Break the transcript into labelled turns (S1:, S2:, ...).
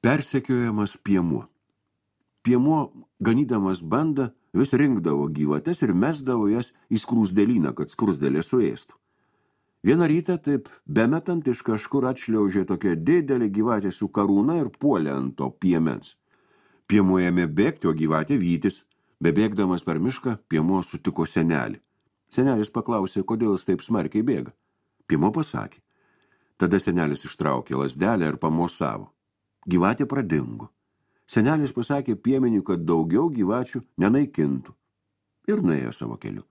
S1: Persekiojamas piemuo. Piemuo, ganydamas bandą, vis rinkdavo gyvates ir mesdavo jas į skruzdėlyną, kad skruzdėlė suėstų. Vieną rytą taip bemetant iš kažkur atšliaužė tokia didelė gyvatė su karūna ir puolė ant to piemens. Piemuo ėmė bėgti, o gyvatė vytis. Bebėgdamas per mišką, piemuo sutiko senelį. Senelis paklausė, kodėl jis taip smarkiai bėga. Piemuo pasakė. Tada senelis ištraukė lazdelę ir pamosavo. Gyvatė pradingo. Senelis pasakė piemeniui, kad daugiau gyvačių nenaikintų ir nuėjo savo keliu.